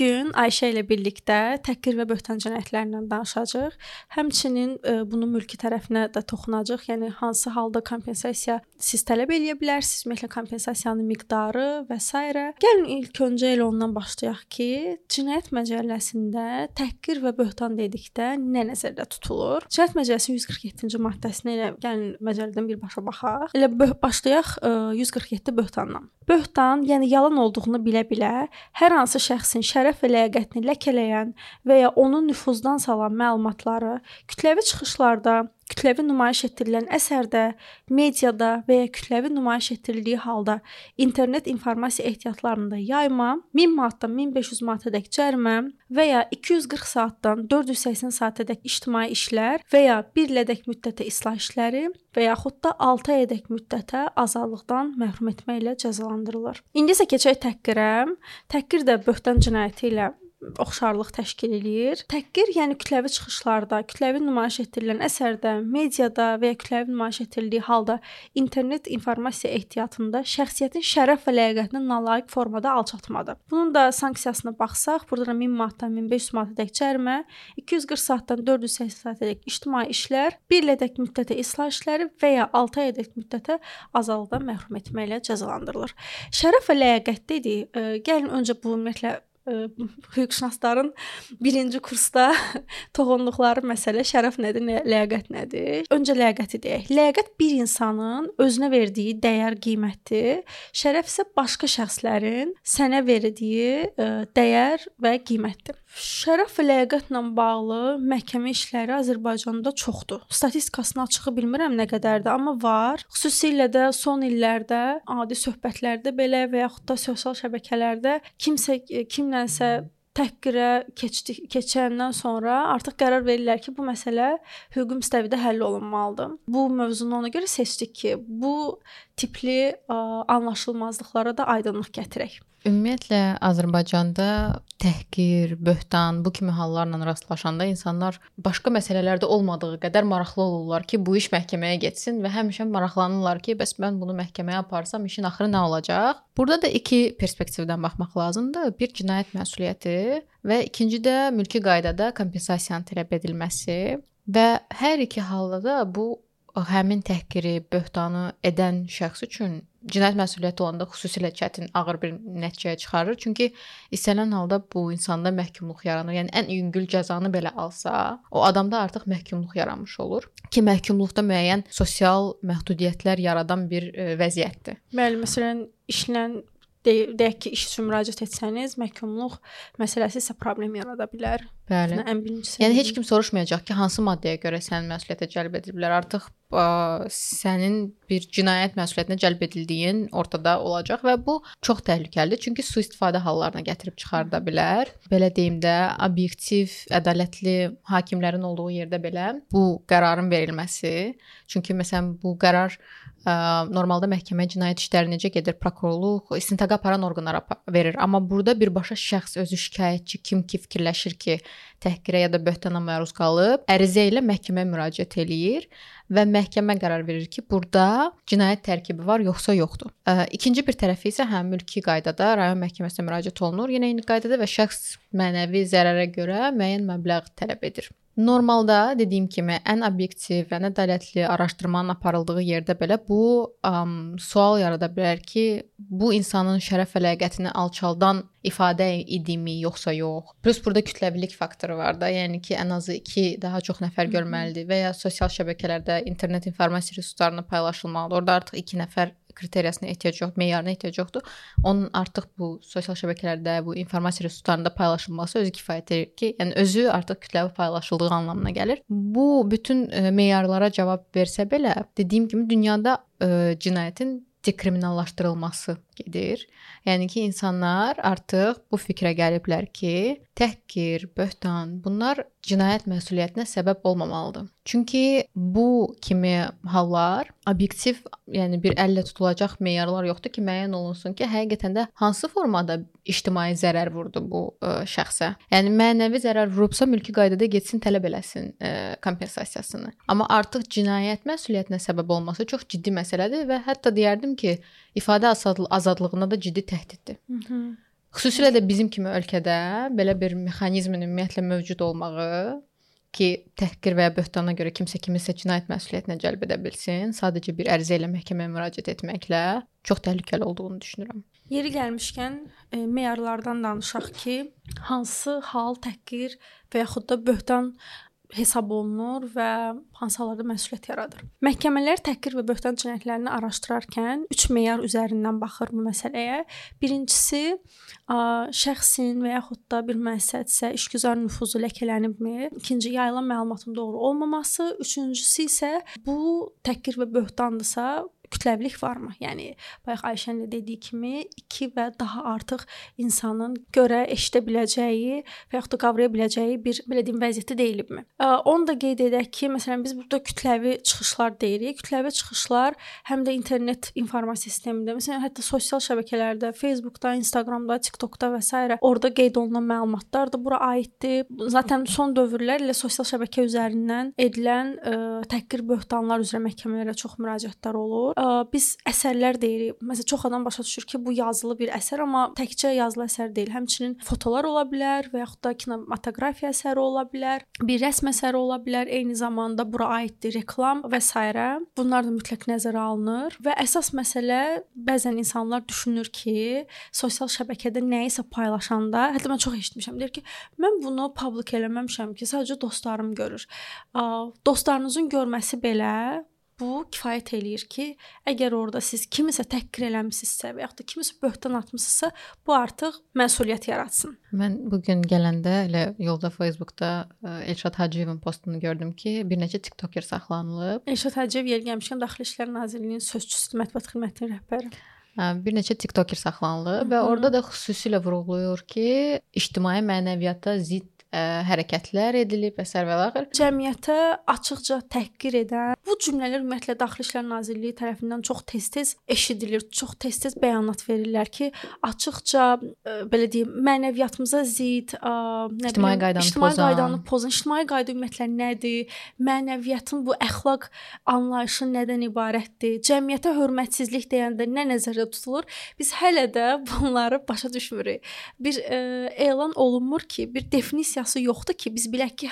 gün Ayşə ilə birlikdə təhqir və böhtan cinayətlərindən danışacağıq. Həmçinin bunun mülki tərəfinə də toxunacağıq. Yəni hansı halda kompensasiya siz tələb edə bilərsiniz, ümumiyyətlə kompensasiyanın miqdarı və s. Gəlin ilk öncə elə ondan başlayaq ki, Cinayət Məcəlləsində təhqir və böhtan dedikdə nə nəzərdə tutulur? Cinayət Məcəlləsinin 147-ci maddəsinə elə gəlin məcəllədən birbaşa baxaq. Elə başlayaq 147 böhtandan. Böhtan, yəni yalan olduğunu bilə-bilə hər hansı şəxsin şərəf və ləyaqətini ləkələyən və ya onu nüfuzdan salan məlumatları kütləvi çıxışlarda, kütləvi nümayiş etdirilən əsərdə, mediada və ya kütləvi nümayiş etdirildiyi halda internet informasiya ehtiyatlarında yayma, 1000 manatdan 1500 manatadək cərimə və ya 240 saatdan 480 saatadək ictimai işlər və ya 1 ilədək müddətə islah işləri və yaxud da 6 aydək müddətə azadlıqdan məhrum etməklə cəzalandırılır. İndi isə keçək təhqirə. Təhqir də böhtan cinayəti ilə oxşarlıq təşkil eləyir. Təhqir, yəni kütləvi çıxışlarda, kütləvi nümayiş etdirilən əsərdə, mediada və ya kütləvi nümayiş etdirildiyi halda internet informasiya ehtiyatında şəxsiyyətin şərəf və ləyaqətini nalayiq formada alçatmadır. Bunun da sanksiyasına baxsaq, burada 1000 manatdan 1500 manatadək cərimə, 240 saatdan 480 saatadək ictimai işlər, 1 ilədək müddətə islah işləri və ya 6 aydək müddətə azadlıqdan məhrum etməklə cəzalandırılır. Şərəf və ləyaqət dedik. Gəlin öncə bu ümumiyyətlə hüquqşünasların birinci kursda toxunduqları məsələ şərəf nədir, ləyaqət nədir? Öncə ləyaqəti deyək. Ləyaqət bir insanın özünə verdiyi dəyər, qiymətdir. Şərəf isə başqa şəxslərin sənə verdiyi dəyər və qiymətdir. Şərəf və ləyaqətlə bağlı məhkəmə işləri Azərbaycanda çoxdur. Statistikasını açığı bilmirəm nə qədərdir, amma var. Xüsusilə də son illərdə adi söhbətlərdə belə və yaxud da sosial şəbəkələrdə kimlənsə təhqirə keçəndən sonra artıq qərar verirlər ki, bu məsələ hüquqi müstəvidə həll olunmalıdır. Bu mövzunu ona görə seçdik ki, bu tipli anlaşılmazlıqlara da aydınlıq gətirək. Ümumiyyətlə Azərbaycanda təhqir, böhtan, bu kimi hallarla rastlaşanda insanlar başqa məsələlərdə olmadığı qədər maraqlı olurlar ki, bu iş məhkəməyə getsin və həmişə maraqlanırlar ki, bəs mən bunu məhkəməyə aparsam işin axırı nə olacaq? Burada da iki perspektivdən baxmaq lazımdır. Bir cinayət məsuliyyəti və ikinci də mülki qaydada kompensasiyanın tələb edilməsi və hər iki halda da bu həmin təhqiri, böhtanı edən şəxs üçün cinayət məsuliyyəti olanda xüsusilə çətin, ağır bir nəticəyə çıxarır. Çünki istənilən halda bu insanda məhkumluq yaranır. Yəni ən yüngül cəzanı belə alsa, o adamda artıq məhkumluq yaranmış olur ki, məhkumluqda müəyyən sosial məhdudiyyətlər yaradan bir vəziyyətdir. Bəli, məsələn, işlə deyək ki, iş üçün müraciət etsəniz, məhkumluq məsələsi isə problem yarada bilər. Bəli. Ən birincisi. Yəni heç kim soruşmayacaq ki, hansı maddəyə görə sənin məsuliyyətə cəlb ediliblər. Artıq sənin bir cinayət məsuliyyətinə cəlb edildiyin ortada olacaq və bu çox təhlükəlidir. Çünki sui-istifadə hallarına gətirib çıxarda bilər. Belə deyim də, obyektiv, ədalətli hakimlərin olduğu yerdə belə bu qərarın verilməsi. Çünki məsələn bu qərar normalda məhkəmə cinayət işləri necə gedir? Prokurorluq, istintaqa aparan orqanlara verir. Amma burada birbaşa şəxs özü şikayətçi kim ki fikirləşir ki, təhqirə ya da böhtana məruz qalıb, ərizə ilə məhkəməyə müraciət eləyir və məhkəmə qərar verir ki, burada cinayət tərkibi var, yoxsa yoxdur. İkinci bir tərəfi isə mülki qaydada rayon məhkəməsinə müraciət olunur. Yenə eyni qaydada və şəxs mənəvi zərərə görə müəyyən məbləğ tələb edir. Normalda dediyim kimi ən obyektiv və ədalətli araşdırmanın aparıldığı yerdə belə bu sual yarada bilər ki, bu insanın şərəf və ləyaqətini alçaldan ifadə idimi yoxsa yox. Plus burada kütləvilik faktoru var da, yəni ki, ən azı 2 daha çox nəfər görməlidir və ya sosial şəbəkələrdə internet informasiya resurslarına paylaşılmalıdır. Orada artıq 2 nəfər kriteriyasına ehtiyac yoxdur, meyarına ehtiyac yoxdur. Onun artıq bu sosial şəbəkələrdə, bu informasiya resurslarında paylaşılması özü kifayət edir ki, yəni özü artıq kütləvi paylaşıldığı anlamına gəlir. Bu bütün meyarlara cavab versə belə, dediyim kimi dünyada cinayətin dekriminallaşdırılması gedir. Yəni ki, insanlar artıq bu fikrə gəliblər ki, təhqir, böhtan, bunlar cinayət məsuliyyətinə səbəb olmamalıdır. Çünki bu kimi hallar obyektiv, yəni bir əllə tutulacaq meyarlar yoxdur ki, müəyyən olunsun ki, həqiqətən də hansı formada ictimai zərər vurdu bu şəxsə. Yəni mənəvi zərər vurubsa mülki qaydada getsin tələb eləsin kompensasiyasını. Amma artıq cinayət məsuliyyətinə səbəb olması çox ciddi məsələdir və hətta deyərdim ki, ifadə azadlığına da ciddi təhdiddir. Xüsusilə də bizim kimi ölkədə belə bir mexanizmin ümumiyyətlə mövcud olmağı ki, təhqir və ya böhtana görə kimsə kiminsə cinayət məsuliyyətinə cəlb edə bilsin, sadəcə bir ərizə ilə məhkəməyə müraciət etməklə çox təhlükəli olduğunu düşünürəm. Yeri gəlmişkən meyarlardan danışaq ki, hansı hal təhqir və yaxud da böhtan hesab olunur və hansı hallarda məsuliyyət yaradır. Məhkəmələr təhqir və böhtan cinayətlərini araşdırarkən 3 meyar üzərindən baxır bu məsələyə. Birincisi, şəxsin və yaxud da bir müəssisədirsə işgüzar nüfuzu ləkələnibmi? İkinci, yayılan məlumatın doğru olmaması. Üçüncüsü isə bu təhqir və böhtandırsa kütləvilik varmı? Yəni bayaq Ayşənin də dediyi kimi 2 və daha artıq insanın görə eşidə biləcəyi və yaxud da qavraya biləcəyi bir belə deyim vəziyyətdə deyilibmi? Onu da qeyd edək ki, məsələn biz burada kütləvi çıxışlar deyirik. Kütləvi çıxışlar həm də internet informasiya sistemində, məsələn hətta sosial şəbəkələrdə, Facebookda, Instagramda, TikTokda və s. orada qeyd olunan məlumatlar da bura aiddir. Zaten son dövrlər ilə sosial şəbəkə üzərindən edilən təhqir böhtanlar üzrə məhkəmələrə çox müraciətlər olur. Biz əsərlər deyirik. Məsələn, çox adam başa düşür ki, bu yazılı bir əsər, amma təkcə yazılı əsər deyil. Həmçinin fotolar ola bilər və yaxud da kinematografiya əsəri ola bilər, bir rəsm əsəri ola bilər, eyni zamanda bura aiddir reklam və s. Bunlar da mütləq nəzərə alınır və əsas məsələ bəzən insanlar düşünür ki, sosial şəbəkədə nəyisə paylaşanda, hətta mən çox eşitmişəm, deyir ki, mən bunu publik eləməmişəm ki, sadəcə dostlarım görür. Dostlarınızın görməsi belə bu kifayət eləyir ki, əgər orada siz kimisə təhqir eləmisinizsə və yaxud da kimisə böhtan atmısınızsa, bu artıq məsuliyyət yaratsın. Mən bu gün gələndə elə yolda Facebookda Elşad Hacıyevin postunu gördüm ki, bir neçə TikToker saxlanılıb. Elşad Hacıyev yeri gəlmişkən Daxili İşlər Nazirliyinin sözçüsü, mətbuat xidmətinin rəhbəri. Bir neçə TikToker saxlanılıb və orada da xüsusilə vurğulayır ki, ictimai mənəviyyata zidd hərəkətlər edilib və s. Cəmiyyətə açıqca təhqir edən bu cümlələr ümumiyyətlə Daxili İşlər Nazirliyi tərəfindən çox tez-tez eşidilir, çox tez-tez bəyanat verirlər ki, açıqca belə deyim, mənəviyyatımıza zidd, ictimai qaydanı pozan, ictimai qayda ümumiyyətlə nədir? Mənəviyyatın bu əxlaq anlayışı nədən ibarətdir? Cəmiyyətə hörmətsizlik deyəndə nə nəzərdə tutulur? Biz hələ də bunları başa düşmürük. Bir elan olunmur ki, bir definisiya yoxdur ki, biz bilək ki,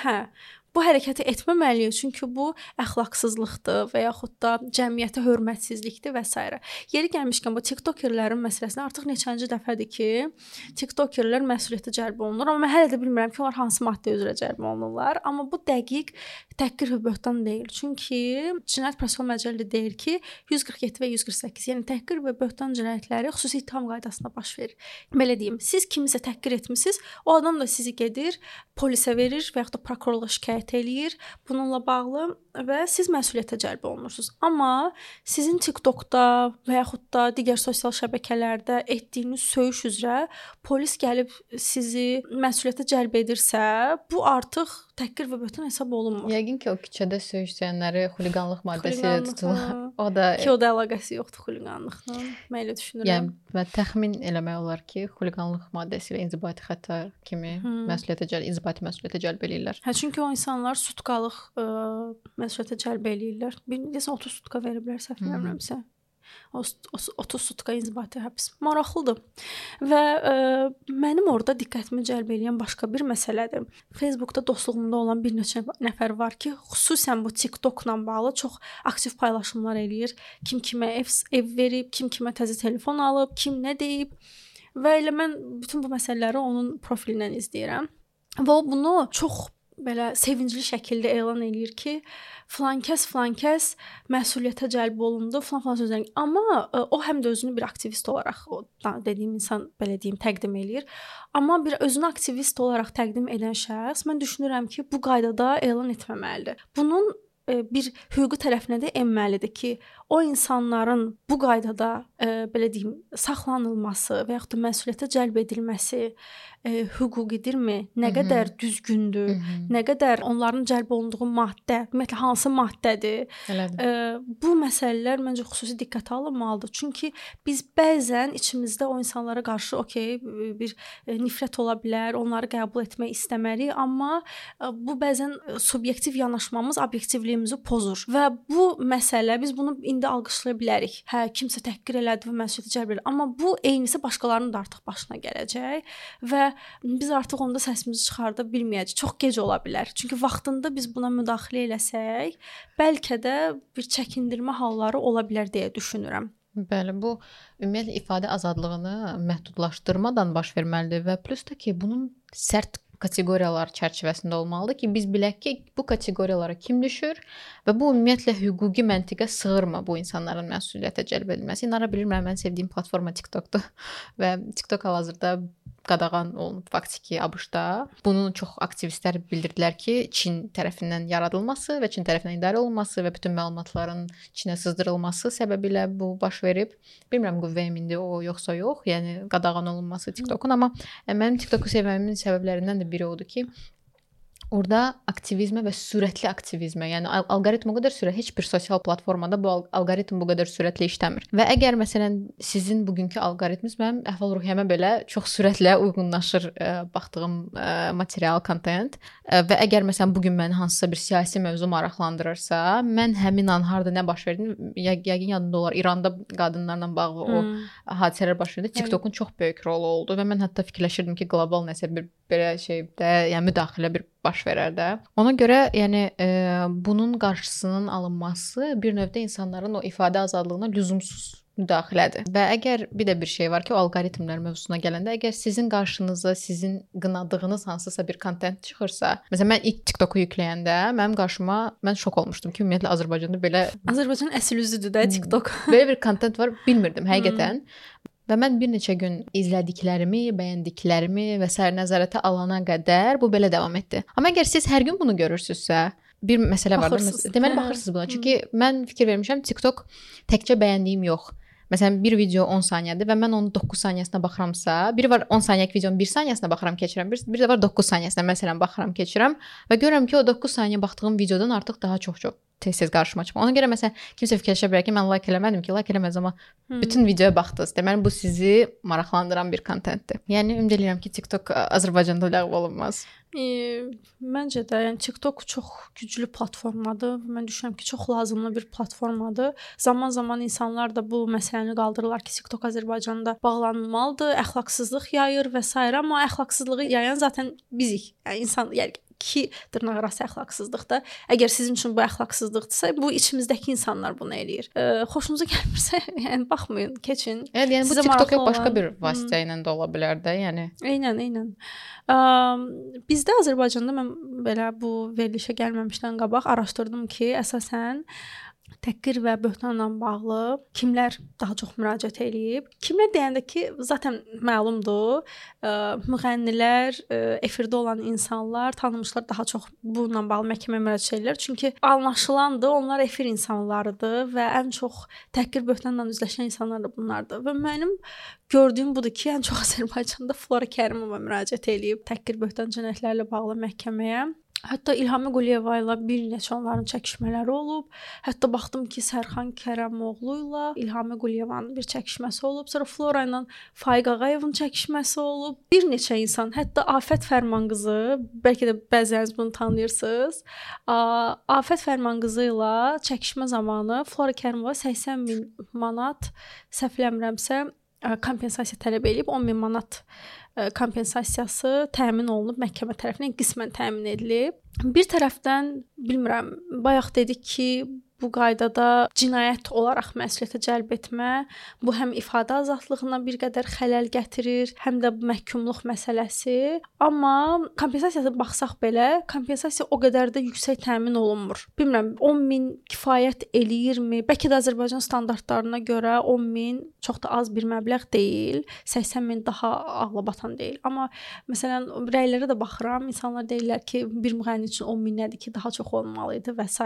bu hərəkəti etməməliyik, çünki bu əxlaqsızlıqdır və yaxud da cəmiyyətə hörmətsizlikdir və s. Yeri gəlmişkən bu TikTokerlərin məsələsində artıq neçənci dəfədir ki, TikTokerlər məsuliyyətə cəlb olunur, amma mən hələ də bilmirəm ki, onlar hansı maddə üzrə cəlb olunurlar, amma bu dəqiq təhqir və böhtan deyil. Çünki Cinayət Prosessual Məcəlləsi deyir ki, 147 və 148, yəni təhqir və böhtan cinayətləri xüsusi ittiham qaydasında baş verir. Belə deyim, siz kimisə təhqir etmisiniz, o adam da sizi gedir, polisə verir və yaxud da prokurorluğa şikayət eləyir bununla bağlı və siz məsuliyyətə cəlb olunursunuz. Amma sizin TikTokda və yaxud da digər sosial şəbəkələrdə etdiyiniz söyüş üzrə polis gəlib sizi məsuliyyətə cəlb edirsə, bu artıq təhqir və böhtan hesab olunmur. Yəqin ki, o küçədə söyüşənləri xuliqanlıq maddəsi ilə tutulur. O da əlaqəsi yoxdur xuliqanlıqla. Mən elə düşünürəm. Yəni və təxmin eləmək olar ki, xuliqanlıq maddəsi ilə inzibati xəta kimi inzibati məsuliyyətə cəlb eləyirlər. Çünki o insanlar sutkalıq məsuliyyətə cəlb eləyirlər. Deyəsən 30 sutka veriblər, səhv eləmirəmsə. 30 sutka inzibati həbs. Maraqlıdır. Və mənim orada diqqətimi cəlb edən başqa bir məsələdir. Facebookda dostluğumda olan bir neçə nəfər var ki, xüsusən bu TikTokla bağlı çox aktiv paylaşımlar eləyir. Kim kimə ev verib, kim kimə təzə telefon alıb, kim nə deyib. Və elə mən bütün bu məsələləri onun profilindən izləyirəm. Və o bunu çox belə sevincli şəkildə elan eləyir ki, filan kəs məsuliyyətə cəlb olundu, filan sözlər. Amma o həm də özünü bir aktivist olaraq, o dediyim insan belə deyim təqdim eləyir. Amma bir özünü aktivist olaraq təqdim edən şəxs, mən düşünürəm ki, bu qaydada elan etməməlidir. Bunun bir hüquqi tərəfinə də enməlidir ki, o insanların bu qaydada belə deyim saxlanılması və yaxud da məsuliyyətə cəlb edilməsi hüquqidirmi? Nə qədər düzgündür? Nə qədər onların cəlb olunduğu maddə, ümumiyyətlə hansı maddədir? Bu məsələlər məncə xüsusi diqqətə alınmalıdır. Çünki biz bəzən içimizdə o insanlara qarşı bir nifrət ola bilər, onları qəbul etmək istəmərik, amma bu bəzən subyektiv yanaşmamız obyektivliyimizi pozur. Və bu məsələ biz bunu indi alqışlaya bilərik. Hə, kimsə təhqir elədi və məsuliyyətə cəlb edir. Amma bu eynisi başqalarının da artıq başına gələcək və biz artıq onda səsimizi çıxarda bilməyəcəyik. Çox gec ola bilər. Çünki vaxtında biz buna müdaxilə eləsək, bəlkə də bir çəkindirmə halları ola bilər deyə düşünürəm. Bəli, bu ümumiyyətlə ifadə azadlığını məhdudlaşdırmadan baş verməlidir və plus da ki, bunun sərt kateqoriyalar çərçivəsində olmalıdır ki, biz bilək ki, bu kateqoriyalara kim düşür və bu ümumiyyətlə hüquqi məntiqə sığırmı bu insanların məsuliyyətə cəlb edilməsi. İnara bilmirəm, mən sevdiyim platforma TikTokdur və TikTok hal-hazırda qadağan olunub faktiki ABŞ-da. Bunu çox aktivistlər bildirdilər ki, Çin tərəfindən yaradılması və Çin tərəfindən idarə olunması və bütün məlumatların Çinə sızdırılması səbəbilə bu baş verib. Bilmirəm qüvvəyə mindi o yoxsa yox, yəni qadağan olunması TikTokun, amma mənim TikToku sevməyimin səbəblərindən də biri odur ki, orada aktivizmə və sürətli aktivizmə, yəni alqoritm o qədər sürətli, heç bir sosial platformada bu alqoritm bu qədər sürətli işləmir. Və əgər məsələn sizin bugünkü alqoritminiz mənim əhval-ruhiyyəmə belə çox sürətlə uyğunlaşır baxdığım material, kontent və əgər məsələn bu gün məni hansısa bir siyasi mövzu maraqlandırırsa, mən həmin an harda nə baş verdiyini yəqin yadında olar. İranda qadınlarla bağlı o hadisələr baş verdi. TikTokun çox böyük rolu oldu və mən hətta fikirləşirdim ki, qlobal nəsə bir belə şeydə, yəni müdaxilə bir baş verər də. Ona görə, yəni bunun qarşısının alınması bir növdə insanların o ifadə azadlığına lüzumsuz müdaxilədir. Və əgər bir də bir şey var ki, o alqoritmlər mövzusuna gələndə, əgər sizin qarşınıza sizin qınadığınız hansısa bir kontent çıxırsa, məsələn mən ilk TikToku yükləyəndə mənim qarşıma mən şok olmuşdum ki, ümumiyyətlə Azərbaycanda belə Azərbaycanın əsl üzüdür də TikTok. Belə bir kontent var, bilmirdim həqiqətən. Və mən bir neçə gün izlədiklərimi, bəyəndiklərimi və sair nəzarətə alana qədər bu belə davam etdi. Amma əgər siz hər gün bunu görürsünüzsə, bir məsələ var da, deməli baxırsınız buna. Çünki mən fikir vermişəm, TikTok təkcə bəyəndiyim yox. Məsələn, bir video 10 saniyədir və mən onun 9 saniyəsinə baxıramsa, biri var 10 saniyəlik videonun 1 saniyəsinə baxıram, keçirəm. Bir də var 9 saniyəsinə məsələn baxıram, keçirəm və görürəm ki, o 9 saniyə baxdığım videodan artıq daha çox tez-tez qarşıma çıxır. Ona görə məsələn kimsə fikirləşə bilər ki, mən like eləmədim ki, like eləməz, amma bütün videoya baxdınız. Deməli bu sizi maraqlandıran bir kontentdir. Yəni ümid edirəm ki, TikTok Azərbaycanda ləğv olunmaz. Məncə də, yəni TikTok çox güclü platformadır. Mən düşünürəm ki, çox lazımlı bir platformadır. Zaman-zaman insanlar da bu məsələni qaldırırlar ki, TikTok Azərbaycanda bağlanmalıdır, əxlaqsızlıq yayır və s. amma əxlaqsızlığı yayan zaten bizik. Yəni insan, yəni ki, dırnaqarası əxlaqsızlıqdır. Əgər sizin üçün bu əxlaqsızlıqdırsa, bu içimizdəki insanlar bunu eləyir. Xoşunuza gəlmirsə, yəni baxmayın, keçin. Yəni bu TikTok yox, başqa bir vasitə ilə də ola bilər də, yəni. Eynən. Bizdə Azərbaycanda mən belə bu verilişə gəlməmişdən qabaq araşdırdım ki, əsasən təhqir və böhtanla bağlı kimlər daha çox müraciət eləyib? Kimlər deyəndə ki, zaten məlumdur, müğənnilər, efirdə olan insanlar, tanınmışlar daha çox bununla bağlı məhkəməyə müraciət edirlər. Çünki anlaşılandır, onlar efir insanlarıdır və ən çox təhqir böhtanla üzləşən insanlar da bunlardır. Və mənim gördüyüm budur ki, ən çox Azərbaycanda Flora Kərimova müraciət eləyib təhqir böhtan cinayətlərlə bağlı məhkəməyə. Hətta İlhami Quliyeva ilə bir neçə onların çəkişmələri olub. Hətta baxdım ki, Sərxan Kərəmoğlu ilə İlhami Quliyevanın bir çəkişməsi olub. Sonra Flora ilə Faiq Ağayevin çəkişməsi olub. Bir neçə insan, hətta Afət Fərmanqızı, bəlkə də bəziləriniz bunu tanıyırsınız. Afət Fərmanqızı ilə çəkişmə zamanı Flora Kərimova 80 min manat, səhv eləmirəmsə, kompensasiya tələb edib, 10 min manat kompensasiyası təmin olunub məhkəmə tərəfindən qismən təmin edilib. Bir tərəfdən bilmirəm, bayaq dedik ki, bu qaydada cinayət olaraq məsuliyyətə cəlb etmə, bu həm ifadə azadlığına bir qədər xələl gətirir, həm də məhkumluq məsələsi. Amma kompensasiyaya baxsaq belə, kompensasiya o qədər də yüksək təmin olunmur. Bilmirəm, 10 min kifayət eləyirmi? Bəlkə də Azərbaycan standartlarına görə 10 min çox da az bir məbləğ deyil, 80 min daha ağlabatan deyil. Amma məsələn, rəylərə də baxıram, insanlar deyirlər ki, bir müğənni üçün 10 min nədir ki, daha çox olmalı idi və s.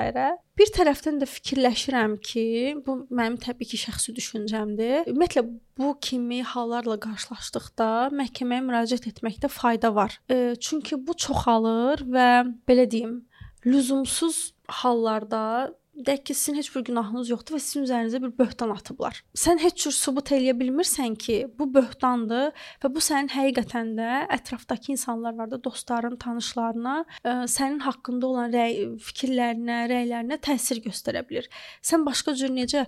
Bir tərəfdən də fikirləşirəm ki, bu mənim təbii ki, şəxsi düşüncəmdir. Ümumiyyətlə bu kimi hallarla qarşılaşdıqda məhkəməyə müraciət etməkdə fayda var. Çünki bu çoxalır və belə deyim, lüzumsuz hallarda deyək ki, sizin heç bir günahınız yoxdur və sizin üzərinizə bir böhtan atıblar. Sən heç cür sübut eləyə bilmirsən ki, bu böhtandır və bu sənin həqiqətən də ətrafdakı insanlar var da, dostların, tanışlarına sənin haqqında olan fikirlərinə, rəylərinə təsir göstərə bilər. Sən başqa cür necə,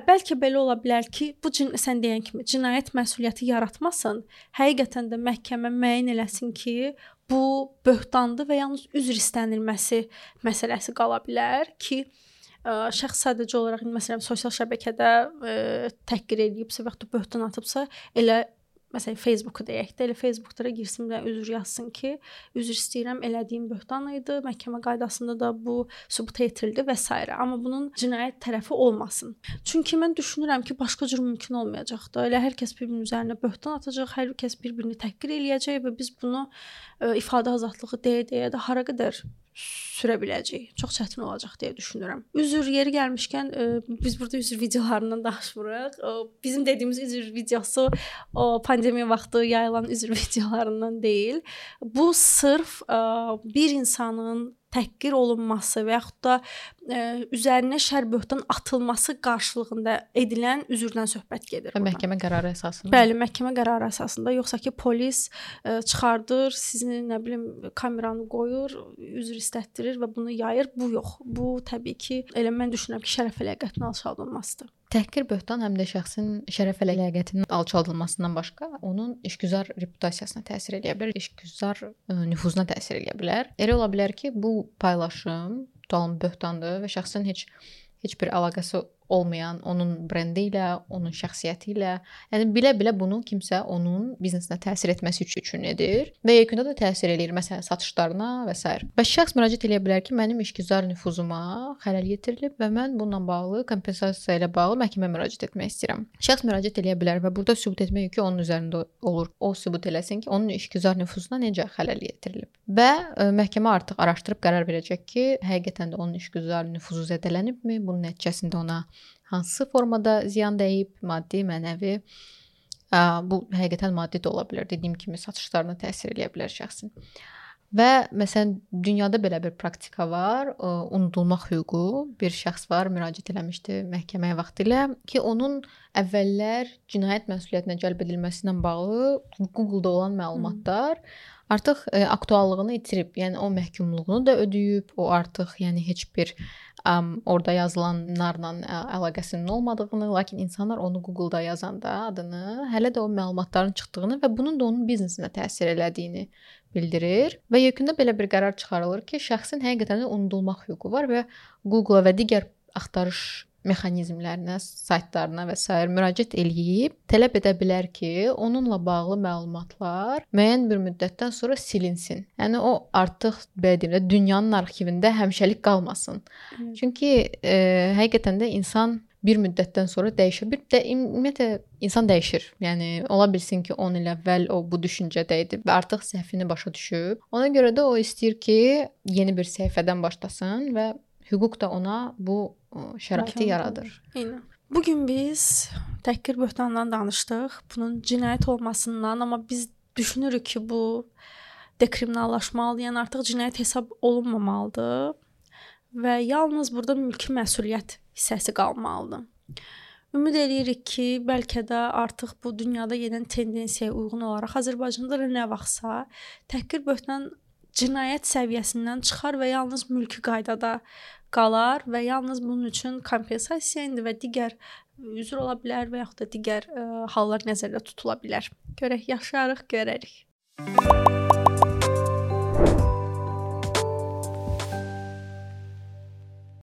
bəlkə belə ola bilər ki, bu sən deyən kimi cinayət məsuliyyəti yaratmasın. Həqiqətən də məhkəmə müəyyən eləsin ki, bu böhtandır və yalnız üzr istənilməsi məsələsi qala bilər ki, şəxs sadəcə olaraq məsələn sosial şəbəkədə təhqir edibsə və ya böhtan atıbsa, elə məsələn Facebooku deyək də, elə Facebookda girsin və üzr yazsın ki, üzr istəyirəm, elədiyim böhtan idi, məhkəmə qaydasında da bu sübut etdirildi və s. Amma bunun cinayət tərəfi olmasın. Çünki mən düşünürəm ki, başqa cür mümkün olmayacaq da. Elə hər kəs bir-birinin üzərinə böhtan atacaq, hər kəs bir-birini təhqir eləyəcək və biz bunu ifadə azadlığı deyə də hara qədər sürə biləcəyik. Çox çətin olacaq deyə düşünürəm. Üzr yeri gəlmişkən biz burada üzr videolarından danışmırıq. Bizim dediyimiz üzr videosu o pandemiya vaxtı yayılan üzr videolarından deyil. Bu sırf bir insanın təhqir olunması və yaxud da üzərinə şər böhtan atılması qarşılığında edilən üzrdən söhbət gedir. Və məhkəmə qərarı əsasında. Bəli, məhkəmə qərarı əsasında, yoxsa ki polis çıxardır, sizi nə bilim kameranı qoyur, üzr istətdirir və bunu yayır. Bu yox. Bu təbii ki, elə mən düşünürəm ki, şərəf əlaqətinin alçaldılmasıdır. Təhqir böhtan həm də şəxsin şərəf əlaqətinin alçaldılmasından başqa onun işgüzar reputasiyasına təsir edə bilər, işgüzar nüfuzuna təsir edə bilər. Elə ola bilər ki, bu paylaşım tutalım böhtandır və şəxsin heç bir əlaqəsi olmayan, onun brendi ilə, onun şəxsiyyəti ilə, yəni bilə-bilə bunu kimsə onun biznesinə təsir etməsi üçün edir və yekunda da təsir eləyir, məsələn, satışlarına və s. Və şəxs müraciət edə bilər ki, mənim işgüzar nüfuzuma xələl yetirilib və mən bununla bağlı kompensasiya ilə bağlı məhkəməyə müraciət etmək istəyirəm. Şəxs müraciət edə bilər və burada sübut etmək yükü onun üzərində olur. O sübut eləsin ki, onun işgüzar nüfuzuna necə xələl yetirilib. Və məhkəmə artıq araşdırıb qərar verəcək ki, həqiqətən də onun işgüzar nüfuzu zədələnibmi, bunun nəticəsində ona hansı formada ziyan dəyib, maddi, mənəvi. Bu həqiqətən maddi də ola bilər. Dediyim kimi satışlarına təsir edə bilər şəxsin. Və məsələn dünyada belə bir praktika var, unudulmaq hüququ. Bir şəxs var, müraciət eləmişdi məhkəməyə vaxtilə ki, onun əvvəllər cinayət məsuliyyətinə cəlb edilməsi ilə bağlı Google-da olan məlumatlar artıq aktuallığını itirib. Yəni o məhkumluğunu da ödəyib, o artıq yəni heç bir orada yazılanlarla əlaqəsinin olmadığını, lakin insanlar onu Google-da yazanda adını, hələ də o məlumatların çıxdığını və bunun da onun biznesinə təsir elədiyini bildirir və yekunda belə bir qərar çıxarılır ki, şəxsin həqiqətən də unudulmaq hüququ var və Google-a və digər axtarış mexanizmlərinə, saytlarına və s. müraciət eləyib, tələb edə bilər ki, onunla bağlı məlumatlar müəyyən bir müddətdən sonra silinsin. Yəni o artıq belə deyim də dünyanın arxivində həmişəlik qalmasın. Çünki həqiqətən də insan bir müddətdən sonra dəyişir. Bir də ümumiyyətlə insan dəyişir. Yəni ola bilsin ki, 10 il əvvəl o bu düşüncədə idi və artıq səhvini başa düşüb. Ona görə də o istəyir ki, yeni bir səhifədən başlasın və hüquq da ona bu şəraiti yaradır. Eynən. Bugün biz təhqir böhtanından danışdıq. Bunun cinayət olmasından, amma biz düşünürük ki, bu dekriminallaşmalı, yəni artıq cinayət hesab olunmamalıdır və yalnız burada mülki məsuliyyət hissəsi qalmalıdır. Ümid edirik ki, bəlkə də artıq bu dünyada gedən tendensiyaya uyğun olaraq Azərbaycanda da nə vaxtsa təhqir böhtan cinayət səviyyəsindən çıxar və yalnız mülki qaydada qalar və yalnız bunun üçün kompensasiya indi və digər üzr ola bilər və yaxud da digər hallar nəzərdə tutula bilər. Görək, yaşarıq, görərik.